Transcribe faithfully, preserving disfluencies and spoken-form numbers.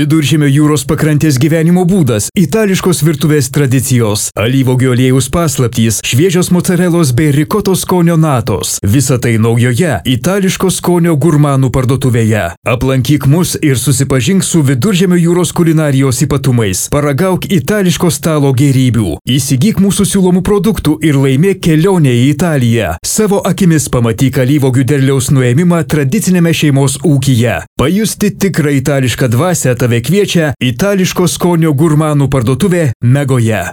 Viduržemio jūros pakrantės gyvenimo būdas, itališkos virtuvės tradicijos, alyvuogių aliejaus paslaptys, šviežios mocarelos bei rikotos skonio natos. Visa tai naujoje itališko skonio gurmanų parduotuvėje. Aplankyk mus ir susipažink su Viduržemio jūros kulinarijos ypatumais. Paragauk itališko stalo gėrybių. Įsigyk mūsų siūlomų produktų ir laimėk kelionę į Italiją. Savo akimis pamatyk alyvuogių derliaus nuėmimą tradicinėme šeimos ūkyje. Pajusti tikrą itališką dvasią tave kviečia itališko skonio gurmanų parduotuvė Megoje.